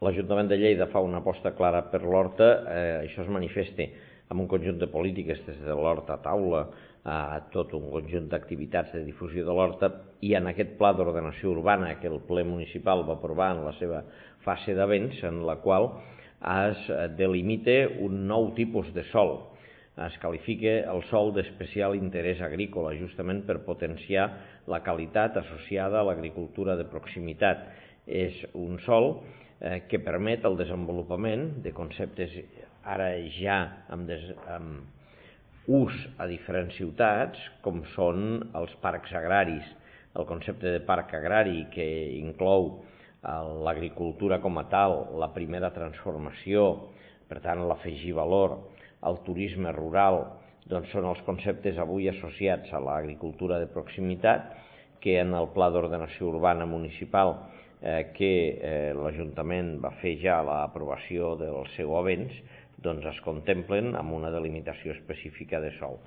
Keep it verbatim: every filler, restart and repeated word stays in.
l'Ajuntament de Lleida fa una aposta clara per l'horta, eh, això es manifesta amb un conjunt de polítiques, des de l'horta a taula a tot un conjunt d'activitats de difusió de l'horta, i en aquest pla d'ordenació urbana que el ple municipal va aprovar en la seva fase d'avents, en la qual es delimita un nou tipus de sòl. Es qualifica el sòl d'especial interès agrícola, justament per potenciar la qualitat associada a l'agricultura de proximitat. És un sòl eh, que permet el desenvolupament de conceptes ara ja amb, des, amb ús a diferents ciutats, com són els parcs agraris. El concepte de parc agrari, que inclou l'agricultura com a tal, la primera transformació, per tant l'afegir valor, el turisme rural, doncs són els conceptes avui associats a l'agricultura de proximitat, que en el Pla d'Ordenació Urbana Municipal eh, que eh, l'Ajuntament va fer ja l'aprovació del seu avenç, doncs es contemplen amb una delimitació específica de sòl.